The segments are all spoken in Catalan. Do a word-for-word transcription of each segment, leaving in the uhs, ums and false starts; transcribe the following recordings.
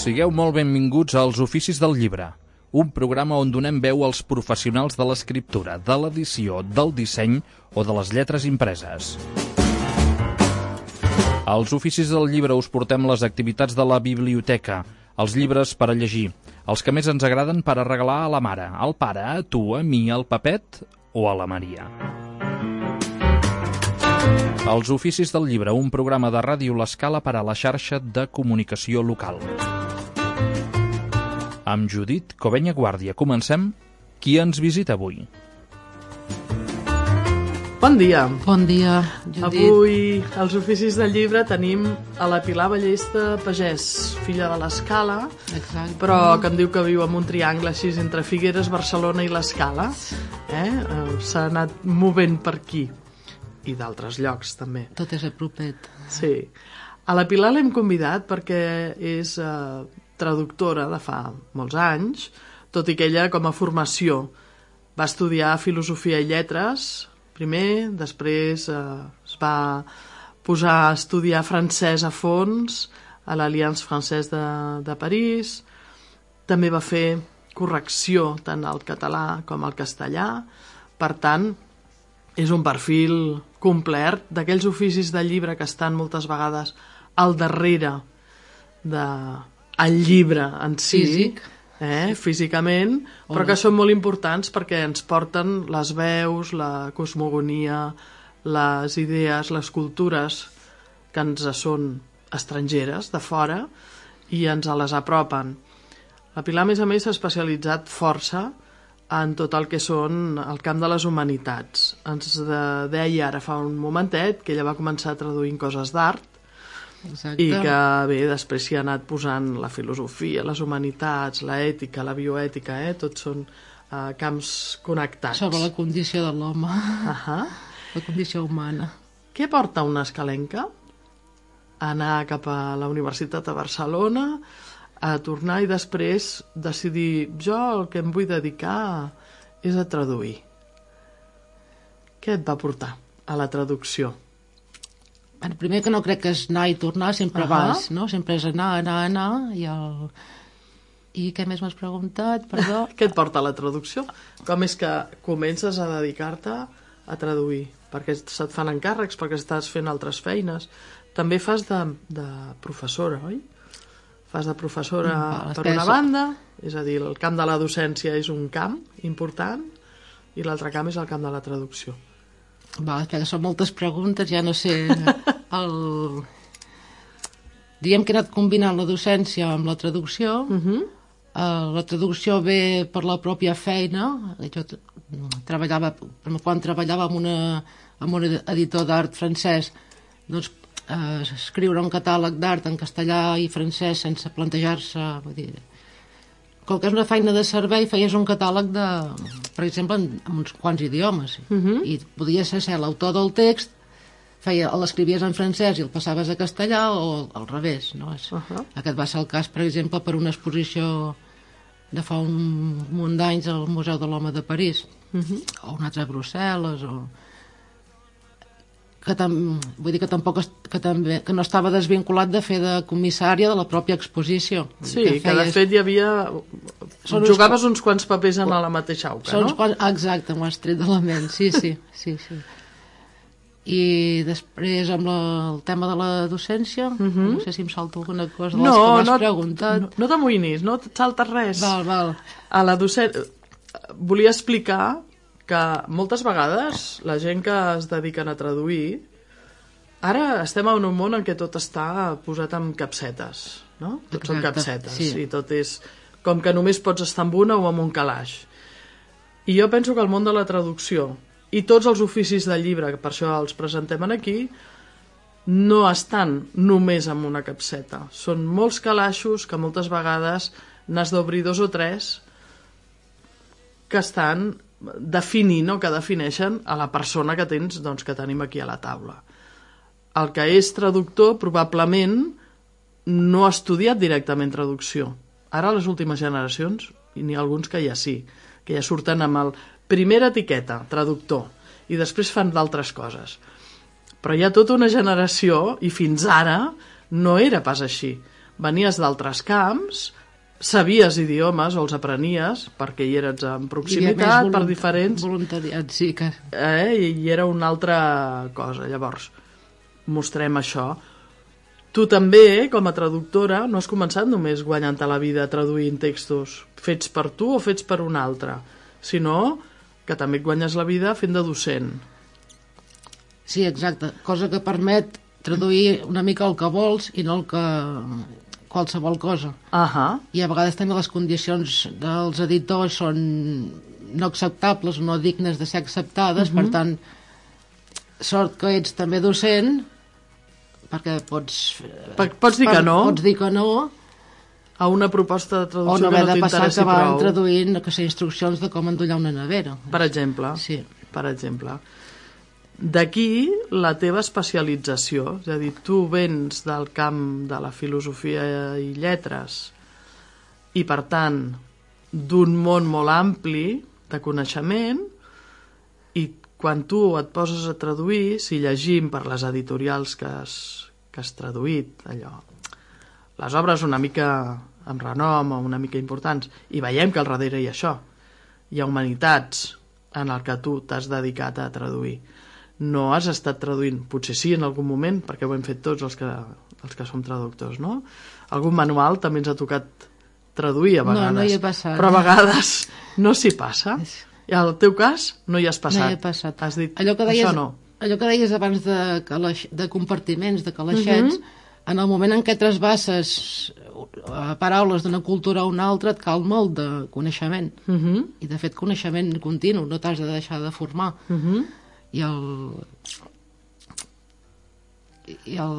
Sigueu molt benvinguts als Oficis del Llibre, un programa on donem veu als professionals de l'escriptura, de l'edició, del disseny o de les lletres impreses. Als Oficis del Llibre us portem les activitats de la biblioteca, els llibres per a llegir, els que més ens agraden per a regalar a la mare, al pare, a tu, a mi, al Pepet o a la Maria. Els Oficis del Llibre, un programa de Ràdio L'Escala per a la xarxa de comunicació local. Amb Judit Covenya Guàrdia. Comencem. Qui ens visita avui? Bon dia. Bon dia, Judit. Avui, als Oficis del Llibre, tenim a la Pilar Ballesta Pagès, filla de l'Escala, Exacte. però que em diu que viu en un triangle així entre Figueres, Barcelona i l'Escala. Eh? S'ha anat movent per aquí. I d'altres llocs, també. Tot és a propet. Sí. A la Pilar l'hem convidat perquè és eh, traductora de fa molts anys, tot i que ella, com a formació, va estudiar Filosofia i Lletres, primer, després eh, es va posar a estudiar francès a fons a l'Alliance Française de, de París, també va fer correcció tant al català com al castellà, per tant, és un perfil complet d'aquells oficis de llibre que estan moltes vegades al darrere del llibre en si, Físic. eh, físicament, però que són molt importants perquè ens porten les veus, la cosmogonia, les idees, les cultures que ens són estrangeres, de fora, i ens les apropen. La Pilar, a més a més, s'ha especialitzat força en tot el que són el camp de les humanitats. Ens de, deia ara fa un momentet que ella va començar traduint coses d'art Exacte. i que bé, després s'hi ha anat posant la filosofia, les humanitats, l'ètica, la bioètica, eh? Tots són eh, camps connectats. Sobre la condició de l'home, Uh-huh. la condició humana. Què porta una escalenca? Anar cap a la Universitat de Barcelona, a tornar i després decidir jo el que em vull dedicar és a traduir. Què et va portar a la traducció? El primer que no crec que és anar i tornar, sempre Ahà. vas, no? Sempre és anar, anar, anar, i el... I què més m'has preguntat, perdó? Què et porta a la traducció? Com és que comences a dedicar-te a traduir? Perquè se't fan encàrrecs, perquè estàs fent altres feines. També fas de, de professora, oi? Fas de professora Mm, per que una és- banda, és a dir, el camp de la docència és un camp important i l'altre camp és el camp de la traducció. Va, que són moltes preguntes, ja no sé... El... Diem que he anat combinant la docència amb la traducció. Uh -huh. Uh, la traducció ve per la pròpia feina. Jo t- treballava, quan treballava amb, una, amb un editor d'art francès, doncs uh, escriure un catàleg d'art en castellà i francès sense plantejar-se, vull dir, com que és una feina de servei, feies un catàleg de, per exemple, en, en uns quants idiomes, Uh -huh. i podies ser l'autor del text, feia, l'escrivies en francès i el passaves a castellà o al revés, no? És, Uh-huh. Aquest va ser el cas, per exemple, per una exposició de fa un munt d'anys al Museu de l'Home de París, Uh -huh. o un altre a Brussel·les, o... Que tam... vull dir que tampoc est... que, també... que no estava desvinculat de fer de comissària de la pròpia exposició. Sí, que, que de fet hi havia... Són uns Jugaves uns quants papers en la mateixa auca, Són no? uns quants... Exacte, m'ho has tret de la ment, sí, sí, sí, sí. I després amb la, el tema de la docència, Mhm. no sé si em salta alguna cosa de les No, que m'has no, preguntat. no, no t'amoïnis, no et saltes res. Val, val. A la docència... Volia explicar que moltes vegades la gent que es dediquen a traduir, ara estem en un món en què tot està posat amb capsetes, no? Tot són Exacte, capsetes, sí. i tot és com que només pots estar amb una o amb un calaix. I jo penso que el món de la traducció i tots els oficis de llibre, que per això els presentem aquí, no estan només amb una capseta. Són molts calaixos que moltes vegades n'has d'obrir dos o tres que estan definint o que defineixen a la persona que tens, doncs, que tenim aquí a la taula. El que és traductor probablement no ha estudiat directament traducció. Ara les últimes generacions, i n'hi ha alguns que ja sí, que ja surten amb el primera etiqueta, traductor, i després fan d'altres coses. Però hi ha tota una generació, i fins ara no era pas així. venies d'altres camps, sabies idiomes o els aprenies perquè hi eres en proximitat, per diferents... voluntariat, sí. Que... Eh? I era una altra cosa. Llavors, mostrem això. Tu també, com a traductora, no has començat només guanyant-te la vida traduint textos fets per tu o fets per un altre, sinó que també et guanyes la vida fent de docent. Sí, exacte. Cosa que permet traduir una mica el que vols i no el que... qualsevol cosa. Uh-huh. I a vegades també les condicions dels editors són no acceptables o no dignes de ser acceptades, uh-huh. Per tant, sort que ets també docent, perquè pots... Per, pots dir que no. Pots dir que no. A una proposta de traducció o no que no t'interessi prou. O no haver de passar acabant traduint que sé, instruccions de com endollar una nevera. Per exemple. Sí. Per exemple. D'aquí la teva especialització, és a dir, tu vens del camp de la filosofia i lletres i, per tant, d'un món molt ampli de coneixement, i quan tu et poses a traduir, si llegim per les editorials que has, que has traduït, allò, les obres una mica amb renom o una mica importants, i veiem que al darrere hi ha això, hi ha humanitats en el que tu t'has dedicat a traduir. No has estat traduint, potser sí en algun moment, perquè ho hem fet tots els que, els que som traductors, no? Algun manual també ens ha tocat traduir a vegades. No, no hi he passat. Però a vegades no s'hi passa. I al teu cas no hi has passat. No hi he passat. Has dit, allò que deies, això no. Allò que deies abans de, calaix, de compartiments, de calaixets, uh-huh. En el moment en què trasbasses paraules d'una cultura a una altra et cal molt de coneixement. Uh-huh. I de fet coneixement continu, no t'has de deixar de formar. Uh-huh. I el... I el...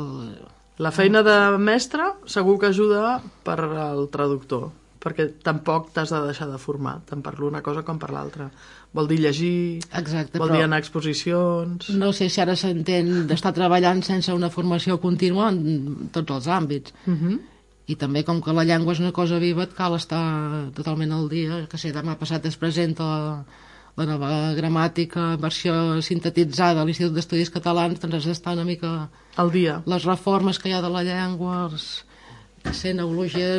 La feina de mestre segur que ajuda per al traductor, perquè tampoc t'has de deixar de formar, tant per l'una cosa com per l'altra. Vol dir llegir, exacte, vol dir anar a exposicions... No sé si ara s'entén d'estar treballant sense una formació contínua en tots els àmbits. Uh-huh. I també, com que la llengua és una cosa viva, et cal estar totalment al dia. Que sé, demà passat es presenta la, la nova gramàtica, versió sintetitzada a l'Institut d'Estudis Catalans, doncs has d'estar una mica... Al dia. Les reformes que hi ha de la llengua, els... que sé, neologia...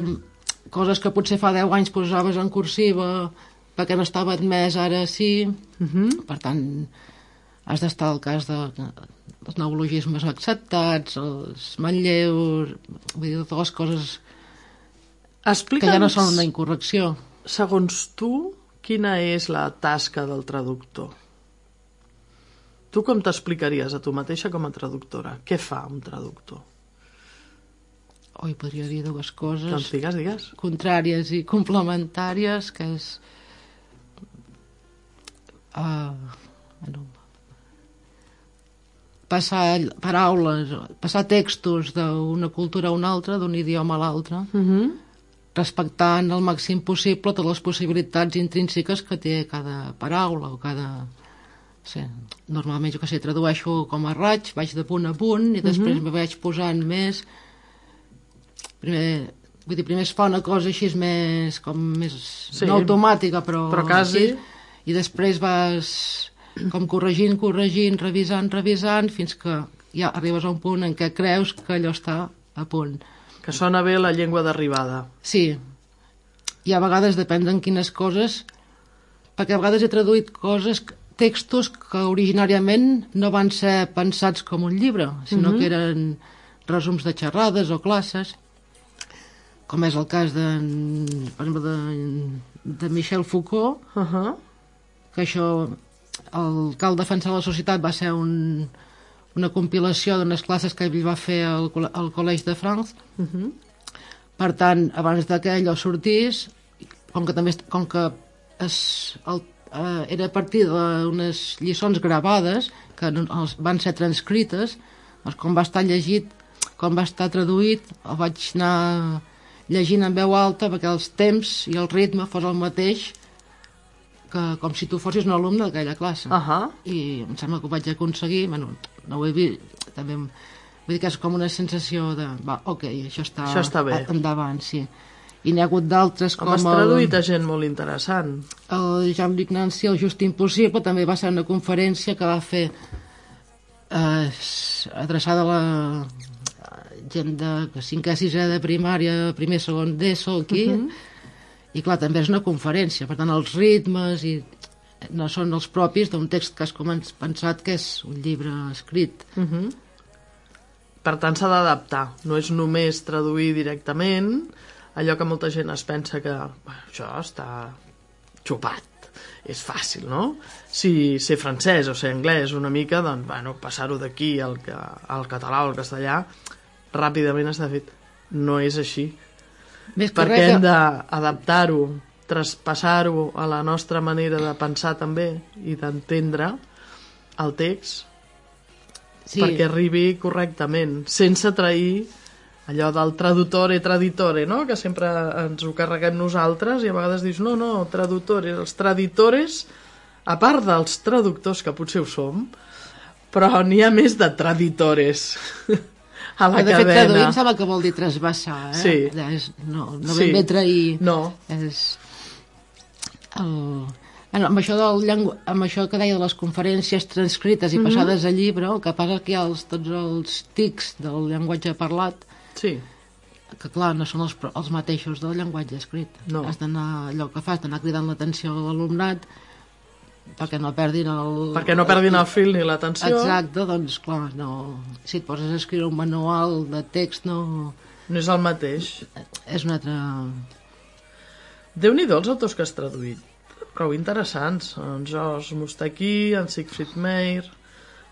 coses que potser fa deu anys posaves en cursiva perquè no estava admès, ara sí. Uh-huh. Per tant, has d'estar al cas de, dels neologismes acceptats, els manlleus, vull dir, totes les coses Explica'ns, que ja no són una incorrecció. Segons tu, quina és la tasca del traductor? Tu com t'explicaries a tu mateixa com a traductora? Què fa un traductor? Oi, podria dir dues coses. Doncs digues, digues. Contràries i complementàries, que és... Uh, bueno, passar paraules, passar textos d'una cultura a una altra, d'un idioma a l'altre, uh-huh. respectant al màxim possible totes les possibilitats intrínseques que té cada paraula o cada... Sí, normalment, jo que sé, tradueixo com a raig, vaig de punt a punt i després uh-huh. me vaig posant més... Primer, vull dir, primer es fa una cosa així més, com més sí, no automàtica, però, però quasi. Així, i després vas com corregint, corregint, revisant, revisant, fins que ja arribes a un punt en què creus que allò està a punt. Que sona bé la llengua d'arribada. Sí. I a vegades depèn en quines coses, perquè a vegades he traduït coses, textos que originàriament no van ser pensats com un llibre, sinó uh-huh. que eren resums de xerrades o classes, com és el cas de, per exemple, de, de Michel Foucault, uh-huh. que això, el Cal defensar la societat va ser un, una compilació d'unes classes que ell va fer al, al Collège de France. Uh-huh. Per tant, abans que allò sortís, com que també com que es, el, eh, era a partir d'unes lliçons gravades que els, van ser transcrites, doncs, com va estar llegit, com va estar traduït, el vaig anar llegint en veu alta perquè els temps i el ritme fos el mateix que com si tu fossis un alumne d'aquella classe. Uh-huh. I em sembla que ho vaig aconseguir, bueno, no ho he vist, també vull dir que és com una sensació de, va, ok, això està, això està bé. Endavant, sí. I n'hi ha hagut d'altres com... Com has traduït a gent molt interessant. El Jean-Luc Nancy, el Just Impossible, també va ser una conferència que va fer eh, adreçada a la gent de cinquè, sisè de primària, primer, segon d'ESO, aquí, uh -huh. i clar, també és una conferència, per tant, els ritmes i no són els propis d'un text que has pensat que és un llibre escrit. Uh -huh. Per tant, s'ha d'adaptar. No és només traduir directament allò que molta gent es pensa que bueno, això està xupat. És fàcil, no? Si ser francès o ser anglès una mica, doncs, bueno, passar-ho d'aquí al, al català o al castellà, ràpidament està fet. No és així. Més perquè correcte. Hem d'adaptar-ho, traspassar-ho a la nostra manera de pensar també i d'entendre el text, sí, perquè arribi correctament, sense trair allò del traduttore, traditore, no? Que sempre ens ho carreguem nosaltres i a vegades dius, no, no, traductores, els traditores, a part dels traductors, que potser ho som, però n'hi ha més de traditores a la de cadena. De fet, traduir em sembla que vol dir trasbassar, eh? Sí. És, no, no Sí. ben bé trair. No. És... El... Bueno, amb, això del llengu... amb això que deia de les conferències transcrites i Mhm. passades a llibre, el que passa que hi ha els, tots els tics del llenguatge parlat, Sí. que clar, no són els, pro- els mateixos del llenguatge escrit. No. Has d'anar, allò que fas, d'anar cridant l'atenció a l'alumnat perquè no perdin el... Perquè no perdin el fil ni l'atenció. Exacte, doncs clar, no... si et poses a escriure un manual de text, no... No és el mateix. És un altre... Déu-n'hi-do els autors que has traduït. Prou interessants. En Georges Moustaki, en Siegfried Meyer,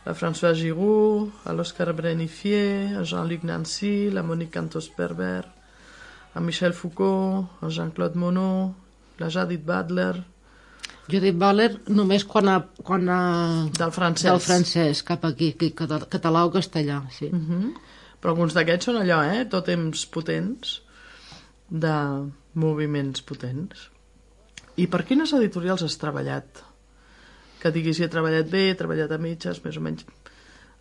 la Françoise Giroud, l'Oscar Brenifier, en Jean-Luc Nancy, la Monique Cantos-Perber, en Michel Foucault, en Jean-Claude Monod, la Judith Butler... Judith Butler només quan ha... Quan ha... Del francès. Del francès, cap aquí, cata- català o castellà, sí. Uh -huh. Però alguns d'aquests són allò, eh? Tòtems potents, de moviments potents. I per quines editorials has treballat? Que diguis, si he treballat bé, he treballat a mitges, més o menys.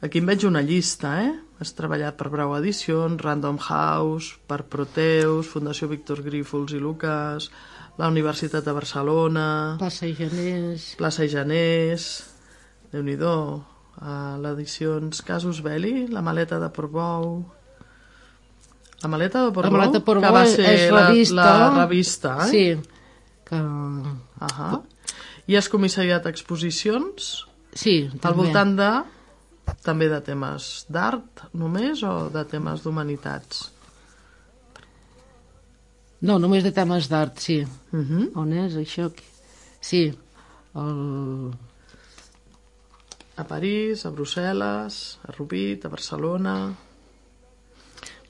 Aquí em veig una llista, eh? Has treballat per Brau Edicions, Random House, per Proteus, Fundació Víctor Grífols i Lucas, la Universitat de Barcelona, Plaça i Genés... Plaça i Genés, Déu-n'hi-do, a l'edicions Casus Belli, la maleta de Portbou... La maleta de Portbou, La maleta de Portbou que va és- ser és la, revista. la revista, eh? Sí, que... Ahà. I has comissariat exposicions Sí, al també. voltant de... també de temes d'art només o de temes d'humanitats? No, només de temes d'art, sí. Uh -huh. On és això? Sí, el... A París, a Brussel·les, a Rupit, a Barcelona...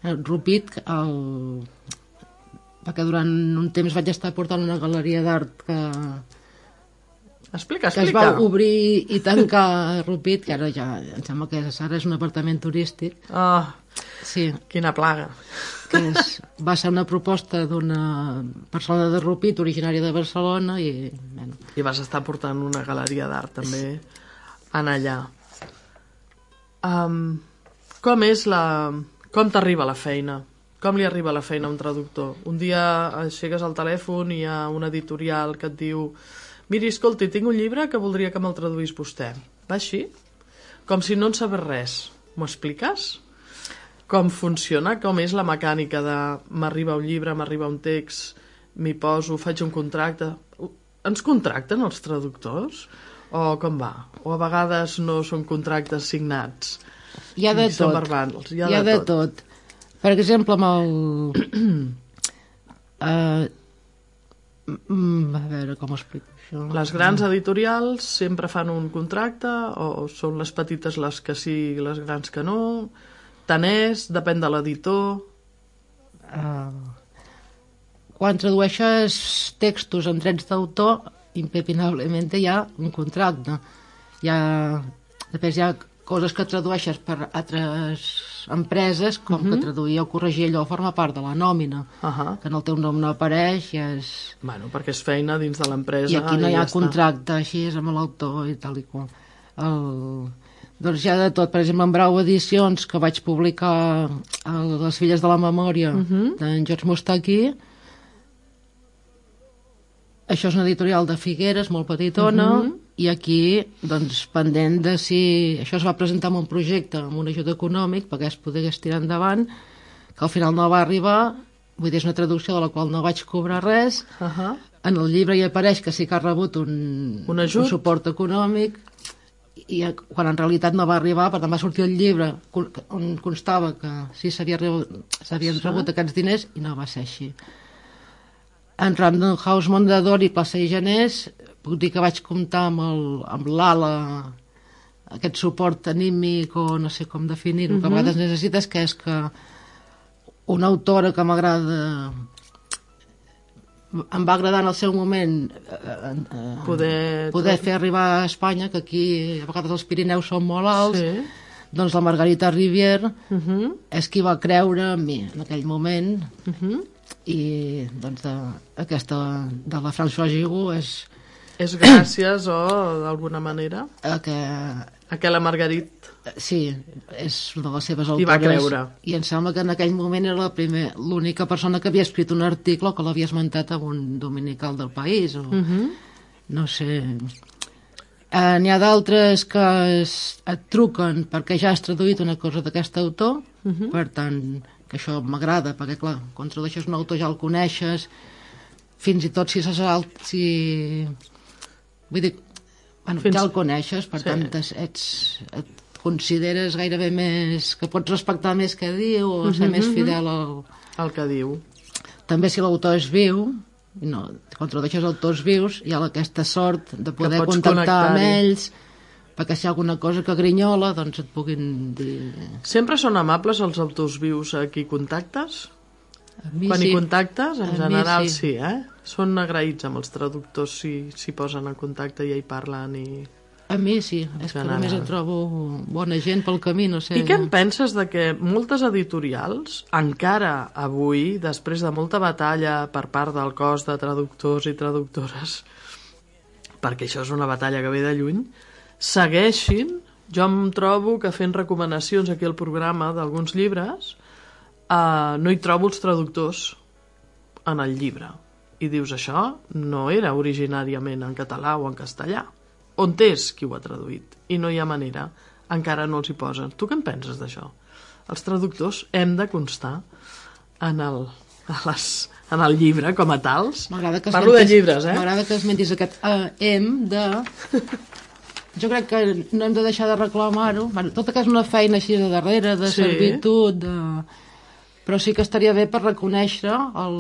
el Rupit, el... perquè durant un temps vaig estar portant una galeria d'art que... Explica, que es explica. va obrir i tancar a Rupit, que ara ja em sembla que ara és un apartament turístic. Ah, Sí, quina plaga. que és, va ser una proposta d'una persona de Rupit, originària de Barcelona, i bueno, I vas estar portant una galeria d'art també en allà. Um, com és la... Com t'arriba la feina? Com li arriba la feina a un traductor? Un dia aixeques el telèfon i hi ha un editorial que et diu miri, escolti, tinc un llibre que voldria que me'l traduís vostè. Va així? Com si no en sabés res. M'ho expliques? Com funciona? Com és la mecànica de m'arriba un llibre, m'arriba un text, m'hi poso, faig un contracte... Ens contracten els traductors? O com va? O a vegades no són contractes signats? hi ha de I són tot. verbals, hi ha Hi ha de de tot. tot. Per exemple, amb el... uh, mm, a veure com ho explico això. Les grans editorials sempre fan un contracte o són les petites les que sí i les grans que no? Tant és, depèn de l'editor... Uh, quan tradueixes textos en drets d'autor, impepinablement hi ha un contracte. Hi ha, després hi ha coses que tradueixes per altres empreses, com uh -huh. que traduir o corregir allò forma part de la nòmina, Uh -huh. que en el teu nom no apareix, i, és... Bueno, perquè és feina dins de l'empresa i aquí no hi ha ja contracte, així és amb l'autor i tal i qual. El... Doncs hi ha de tot. Per exemple, en Brau Edicions, que vaig publicar a Les filles de la memòria uh -huh. d'en Georges Moustaki, això és una editorial de Figueres, molt petitona, uh -huh. i aquí, doncs, pendent de si... Això es va presentar amb un projecte, amb un ajut econòmic, perquè es pogués tirar endavant, que al final no va arribar, vull dir, és una traducció de la qual no vaig cobrar res. Uh -huh. En el llibre hi apareix que sí que ha rebut un, un, un suport econòmic, i quan en realitat no va arribar, per tant va sortir el llibre on constava que sí s'havien rebut, sí. rebut aquests diners, i no va ser així. En Random House Mondadori i Plaça i Genés, puc dir que vaig comptar amb l'ala, aquest suport anímic, o no sé com definir-ho, uh-huh. que a vegades necessites, que és que una autora que m'agrada, em va agradar en el seu moment eh, eh, poder, poder fer arribar a Espanya, que aquí a vegades els Pirineus són molt alts, sí. Doncs la Margarita Rivière uh-huh. és qui va creure en mi en aquell moment, uh-huh. i doncs de, aquesta de la Françoise Giroux és... És gràcies, o d'alguna manera, a que... a que la Margarit... Sí, és una de les seves autores. I va creure. I em sembla que en aquell moment era la primer, l'única persona que havia escrit un article que l'havia esmentat en un dominical del País, o... Uh-huh. No sé... Eh, n'hi ha d'altres que es, et truquen perquè ja has traduït una cosa d'aquest autor, uh-huh. per tant, que això m'agrada, perquè clar, quan tradueixes un autor ja el coneixes, fins i tot si se salt, si... Vull dir, bueno, Fins... ja el coneixes, per sí. tant, ets, et consideres gairebé més... que pots respectar més que diu, o ser uh-huh, més fidel al... al que diu. També si l'autor és viu, no, quan tradueixes autors vius, hi ha aquesta sort de poder contactar amb ells, perquè si hi ha alguna cosa que grinyola, doncs et puguin dir... Sempre són amables els autors vius a qui contactes? Quan sí. hi contactes, en a general sí. sí, eh? Són agraïts amb els traductors si s'hi posen en contacte i ja hi parlen i... A mi sí, és que només em trobo bona gent pel camí, no sé... I què en penses de que moltes editorials, encara avui, després de molta batalla per part del cos de traductors i traductores, perquè això és una batalla que ve de lluny, segueixin, jo em trobo que fent recomanacions aquí al programa d'alguns llibres, Uh, no hi trobo els traductors en el llibre. I dius, això no era originàriament en català o en castellà. On és qui ho ha traduït? I no hi ha manera. Encara no els hi posen. Tu què en penses d'això? Els traductors hem de constar en el, a les, en el llibre com a tals. Parlo de llibres, eh? M'agrada que esmentis aquest uh, hem de... Jo crec que no hem de deixar de reclamar-ho. Bueno, tota que és una feina així de darrere, de sí. servitud, de... però sí que estaria bé per reconèixer el,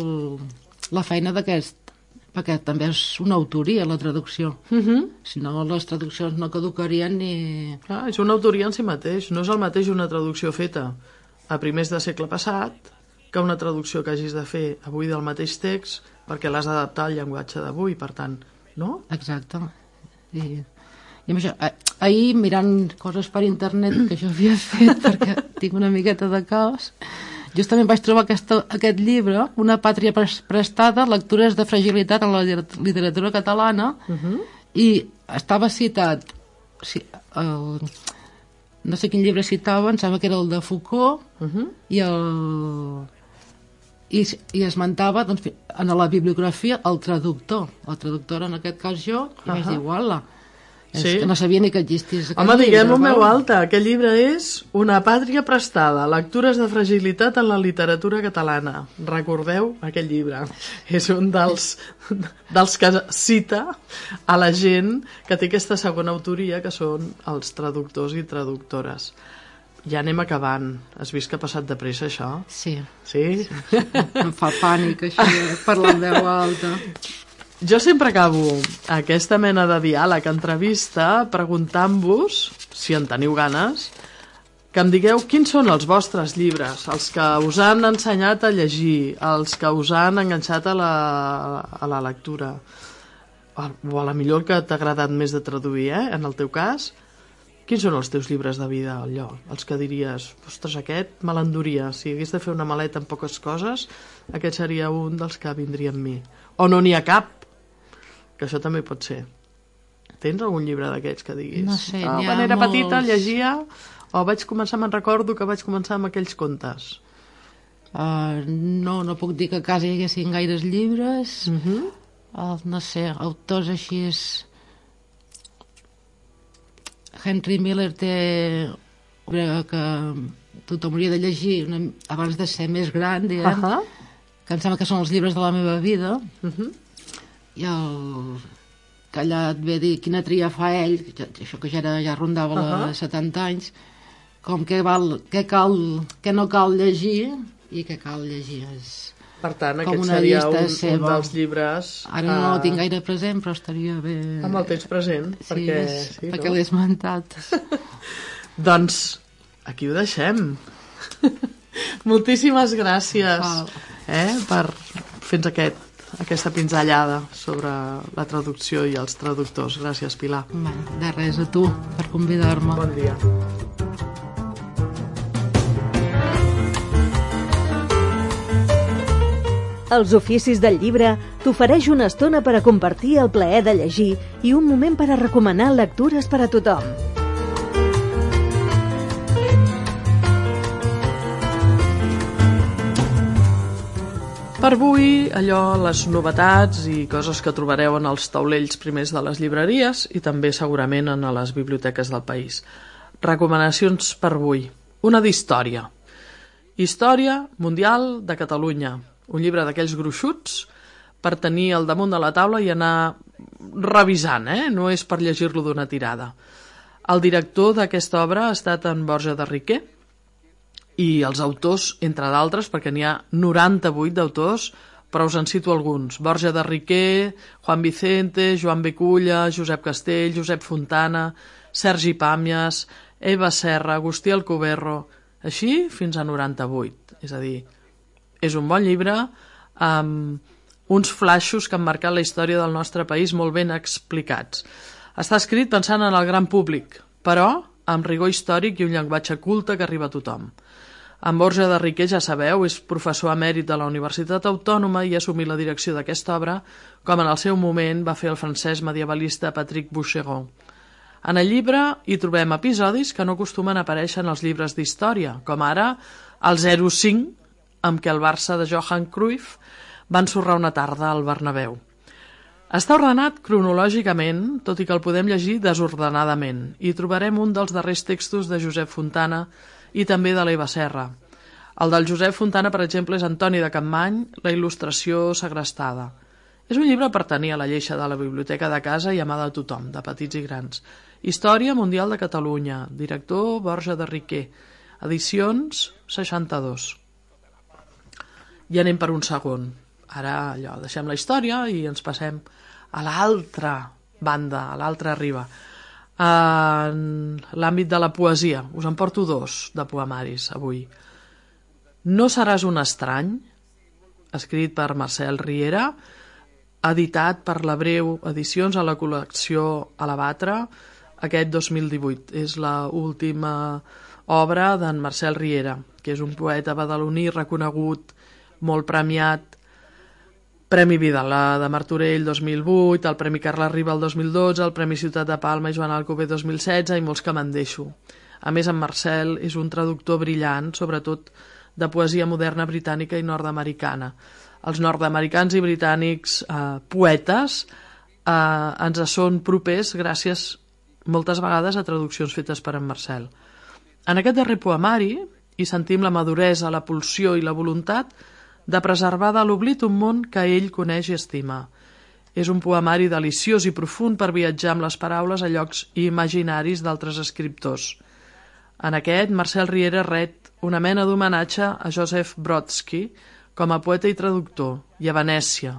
la feina d'aquest, perquè també és una autoria la traducció. Uh-huh. Si no, les traduccions no caducarien ni... Clar, és una autoria en si mateix. No és el mateix una traducció feta a primers de segle passat que una traducció que hagis de fer avui del mateix text perquè l'has d'adaptar al llenguatge d'avui, per tant, no? Exacte. I, i amb això, ahir mirant coses per internet que jo havia fet perquè tinc una miqueta de caos, justament vaig trobar aquesta, aquest llibre, Una pàtria prestada, lectures de fragilitat en la literatura catalana, uh-huh. i estava citat, sí, el, no sé quin llibre citava, em sembla que era el de Foucault, uh-huh. i, el, i, i esmentava doncs, en la bibliografia el traductor, la traductora en aquest cas jo, i uh-huh. vaig dir, uala, és sí. que no sabia ni que existís aquest Home, llibre. diguem-ho en veu alta, aquest llibre és Una pàtria prestada, lectures de fragilitat en la literatura catalana. Recordeu aquest llibre. És un dels, dels que cita a la gent que té aquesta segona autoria, que són els traductors i traductores. Ja anem acabant. Has vist que ha passat de pressa, això? Sí. Sí? sí. Em fa pànic, així, parlar en veu alta. Jo sempre acabo aquesta mena de diàleg, entrevista, preguntant-vos, si en teniu ganes, que em digueu quins són els vostres llibres, els que us han ensenyat a llegir, els que us han enganxat a la, a la lectura, o a la millor que t'ha agradat més de traduir, eh? En el teu cas, quins són els teus llibres de vida, allò? Els que diries, ostres, aquest me l'enduria, si hagués de fer una maleta amb poques coses, aquest seria un dels que vindria amb mi. O no n'hi ha cap, que això també pot ser. Tens algun llibre d'aquests que diguis? No sé, oh, n'hi ha quan era molts... petita llegia, o vaig començar, me'n recordo que vaig començar amb aquells contes. Uh, no, no puc dir que a casa hi haguessin gaires llibres. Uh-huh. uh, no sé, autors així és... Henry Miller té que tothom hauria de llegir una, abans de ser més gran, diguem, Uh -huh. que em sembla que són els llibres de la meva vida, Uh -huh. i el que allà et ve dir quina tria fa ell, que ja, això que ja, era, ja rondava uh -huh. les setanta anys, com què, val, què, cal, què no cal llegir i què cal llegir. És per tant, com aquest una seria llista un, seva. un dels llibres... Ara no el tinc gaire present, però estaria bé... Amb el temps present, sí, perquè... és, Sí, perquè no? l'he esmentat. Doncs aquí ho deixem. Moltíssimes gràcies Val. eh, per fer-nos aquest, aquesta pinzellada sobre la traducció i els traductors. Gràcies, Pilar. Va, de res, a tu, per convidar-me. Bon dia. Els oficis del llibre t'ofereix una estona per a compartir el plaer de llegir i un moment per a recomanar lectures per a tothom. Per avui, allò, les novetats i coses que trobareu en els taulells primers de les llibreries i també segurament en les biblioteques del país. Recomanacions per avui. Una d'història. Història Mundial de Catalunya. Un llibre d'aquells gruixuts per tenir al damunt de la taula i anar revisant, eh? No és per llegir-lo d'una tirada. El director d'aquesta obra ha estat en Borja de Riquer i els autors, entre d'altres, perquè n'hi ha noranta-vuit d'autors, però us en cito alguns. Borja de Riquer, Juan Vicente, Joan Beculla, Josep Castell, Josep Fontana, Sergi Pàmies, Eva Serra, Agustí Alcoberro, així fins a noranta-vuit. És a dir, és un bon llibre amb uns flaixos que han marcat la història del nostre país molt ben explicats. Està escrit pensant en el gran públic, però amb rigor històric i un llenguatge culte que arriba a tothom. En Borja de Riquer, ja sabeu, és professor emèrit de la Universitat Autònoma i ha assumit la direcció d'aquesta obra, com en el seu moment va fer el francès medievalista Patrick Boucheron. En el llibre hi trobem episodis que no acostumen a aparèixer en els llibres d'història, com ara el zero cinc, amb què el Barça de Johan Cruyff va ensorrar una tarda al Bernabéu. Està ordenat cronològicament, tot i que el podem llegir desordenadament, i trobarem un dels darrers textos de Josep Fontana i també de l'Eva Serra. El del Josep Fontana, per exemple, és Antoni de Capmany, la il·lustració segrestada. És un llibre per tenir a la lleixa de la biblioteca de casa i a mà de tothom, de petits i grans. Història Mundial de Catalunya, director Borja de Riquer, edicions seixanta-dos. I anem per un segon. Ara allò, deixem la història i ens passem a l'altra banda, a l'altra riba. En l'àmbit de la poesia, us en porto dos de poemaris avui. No seràs un estrany, escrit per Marcel Riera, editat per la Breu Edicions a la col·lecció Alabatra aquest dos mil divuit. És l'última obra d'en Marcel Riera, que és un poeta badaloní reconegut, molt premiat, Premi Vidal de Martorell dos mil vuit, el Premi Carles Riba el dos mil dotze, el Premi Ciutat de Palma i Joan Alcover dos mil setze i molts que me'n deixo. A més, en Marcel és un traductor brillant, sobretot de poesia moderna britànica i nord-americana. Els nord-americans i britànics eh, poetes eh, ens són propers gràcies moltes vegades a traduccions fetes per en Marcel. En aquest darrer poemari hi sentim la maduresa, la pulsió i la voluntat de preservar de l'oblit un món que ell coneix i estima. És un poemari deliciós i profund per viatjar amb les paraules a llocs imaginaris d'altres escriptors. En aquest, Marcel Riera ret una mena d'homenatge a Joseph Brodsky com a poeta i traductor, i a Venècia,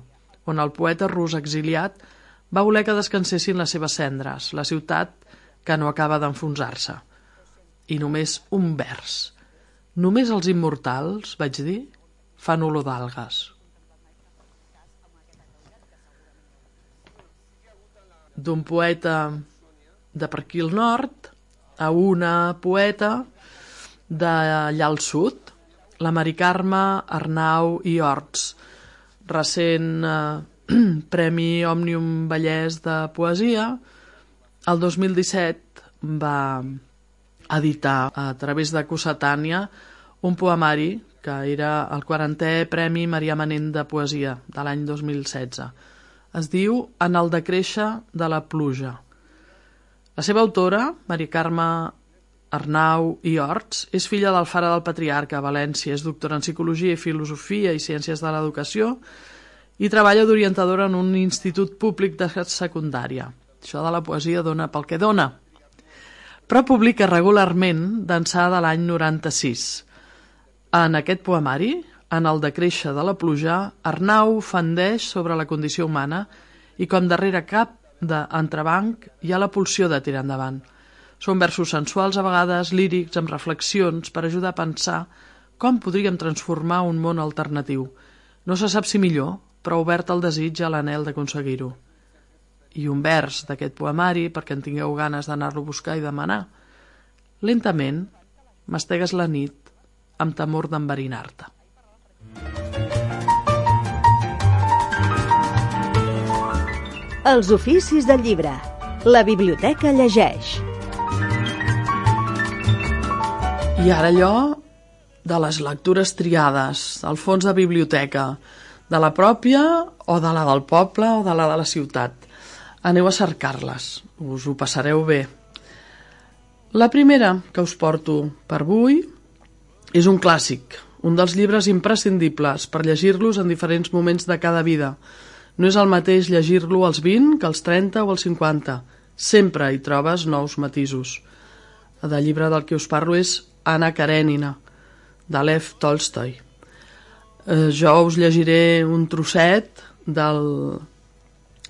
on el poeta rus exiliat va voler que descansessin les seves cendres, la ciutat que no acaba d'enfonsar-se. I només un vers. Només els immortals, vaig dir, fan olor d'algues. D'un poeta de per aquí al nord a una poeta d'allà al sud, la Mari Carme Arnau i Horts, recent eh, Premi Òmnium Vallès de Poesia. El dos mil disset va editar a través de Cossetània un poemari que era el quarantè Premi Marià Manent de Poesia de l'any dos mil setze. Es diu En el decréixer de la pluja. La seva autora, Mari Carme Arnau i Horts, és filla d'Alfara del Patriarca a València, és doctora en Psicologia i Filosofia i Ciències de l'Educació i treballa d'orientadora en un institut públic de secundària. Això de la poesia dona pel que dona. Però publica regularment d'ençà de l'any noranta-sis. En aquest poemari, en el de Créixer de la pluja, Arnau fendeix sobre la condició humana i com darrere cap d'entrebanc hi ha la pulsió de tirar endavant. Són versos sensuals, a vegades lírics, amb reflexions, per ajudar a pensar com podríem transformar un món alternatiu. No se sap si millor, però obert al desig i a l'anhel d'aconseguir-ho. I un vers d'aquest poemari, perquè en tingueu ganes d'anar-lo a buscar i demanar. Lentament, mastegues la nit amb temor d'enverinar-te. Els oficis del llibre. La biblioteca llegeix. I ara allò de les lectures triades, al fons de biblioteca, de la pròpia o de la del poble o de la de la ciutat. Aneu a cercar-les, us ho passareu bé. La primera que us porto per avui és un clàssic, un dels llibres imprescindibles per llegir-los en diferents moments de cada vida. No és el mateix llegir-lo als vint que als trenta o als cinquanta. Sempre hi trobes nous matisos. El llibre del que us parlo és Anna Karenina, de Lev Tolstoi. Eh, jo us llegiré un trosset del,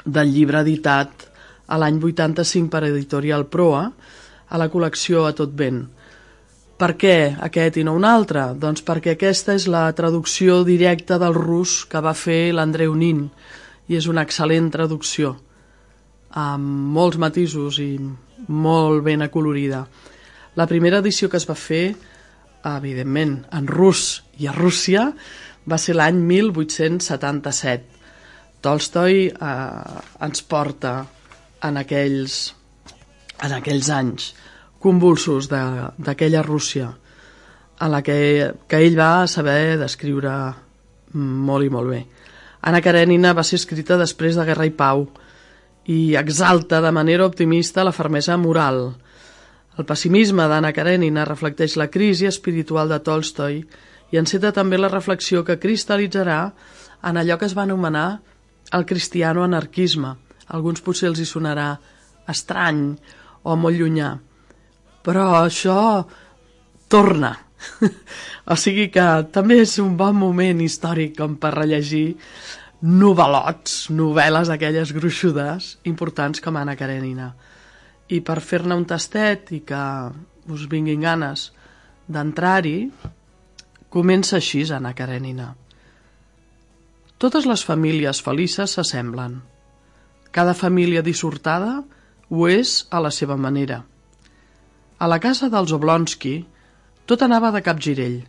del llibre editat a l'any vuitanta-cinc per Editorial Proa, a la col·lecció A tot vent. Per què aquest i no un altre? Doncs perquè aquesta és la traducció directa del rus que va fer l'Andreu Nin, i és una excel·lent traducció, amb molts matisos i molt ben acolorida. La primera edició que es va fer, evidentment, en rus i a Rússia, va ser l'any mil vuit-cents setanta-set. Tolstoi eh, ens porta en aquells, en aquells anys convulsos d'aquella Rússia, en la que, que ell va saber descriure molt i molt bé. Anna Karenina va ser escrita després de Guerra i Pau i exalta de manera optimista la fermesa moral. El pessimisme d'Anna Karenina reflecteix la crisi espiritual de Tolstoi i enceta també la reflexió que cristal·litzarà en allò que es va anomenar el cristiano-anarquisme. A alguns potser els hi sonarà estrany o molt llunyà, però això torna. O sigui que també és un bon moment històric com per rellegir novel·lots, novel·les aquelles gruixudes importants com Anna Karenina. I per fer-ne un tastet i que us vinguin ganes d'entrar-hi, comença així Anna Karenina. Totes les famílies felices s'assemblen. Cada família dissortada ho és a la seva manera. A la casa dels Oblonsky tot anava de capgirell.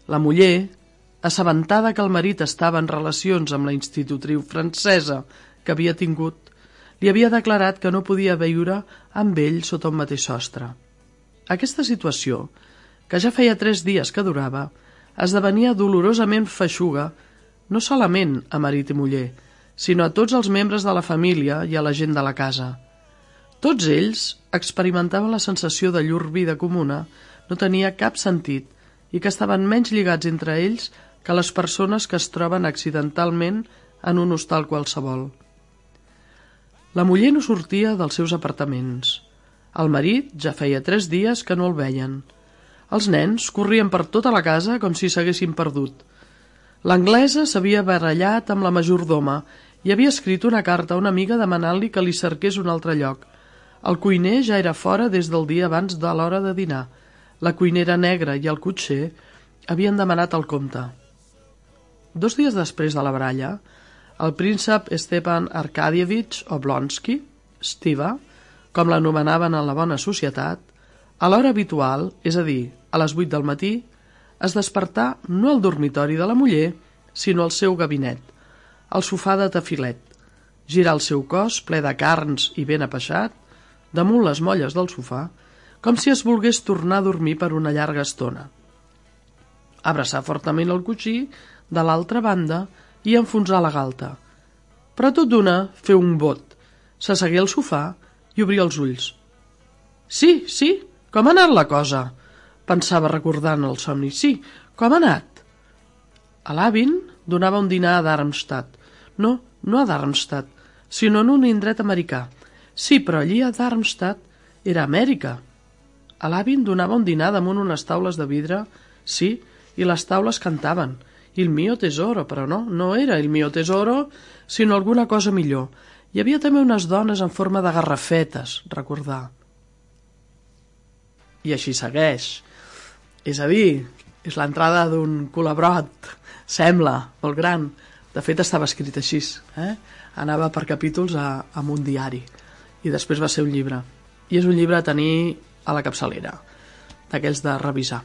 La muller, assabentada que el marit estava en relacions amb la institutriu francesa que havia tingut, li havia declarat que no podia viure amb ell sota un mateix sostre. Aquesta situació, que ja feia tres dies que durava, esdevenia dolorosament feixuga no solament a marit i muller, sinó a tots els membres de la família i a la gent de la casa. Tots ells experimentaven la sensació de llur vida comuna no tenia cap sentit i que estaven menys lligats entre ells que les persones que es troben accidentalment en un hostal qualsevol. La muller no sortia dels seus apartaments. El marit ja feia tres dies que no el veien. Els nens corrien per tota la casa com si s'haguessin perdut. L'anglesa s'havia barallat amb la majordoma i havia escrit una carta a una amiga demanant-li que li cerqués un altre lloc. El cuiner ja era fora des del dia abans de l'hora de dinar. La cuinera negra i el cotxer havien demanat el compte. Dos dies després de la baralla, el príncep Stepan Arkadievich Oblonsky, Stiva, com l'anomenaven en la bona societat, a l'hora habitual, és a dir, a les vuit del matí, es despertà no al dormitori de la muller, sinó al seu gabinet, al sofà de tafilet, girar el seu cos ple de carns i ben apeixat, damunt les molles del sofà, com si es volgués tornar a dormir per una llarga estona. Abraçar fortament el coixí de l'altra banda i enfonsar la galta. Però tot d'una fer un bot, s'assegué al sofà i obria els ulls. Sí, sí, Com ha anat la cosa? Pensava recordant el somni. Sí, com ha anat? A l'Avin donava un dinar a Darmstadt. No, no a Darmstadt, sinó en un indret americà. Sí, però allí a Darmstadt era Amèrica. A l'Avin donava un dinar damunt unes taules de vidre, sí, i les taules cantaven. Il mio tesoro, però no, no era il mio tesoro, sinó alguna cosa millor. Hi havia també unes dones en forma de garrafetes, recordar. I així segueix. És a dir, és l'entrada d'un colabrot, sembla, molt gran. De fet, estava escrit així. Eh? Anava per capítols a, a un diari. I després va ser un llibre. I és un llibre a tenir a la capçalera, d'aquells de revisar.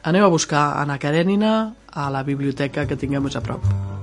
Aneu a buscar Anna Karenina a la biblioteca que tingueu més a prop.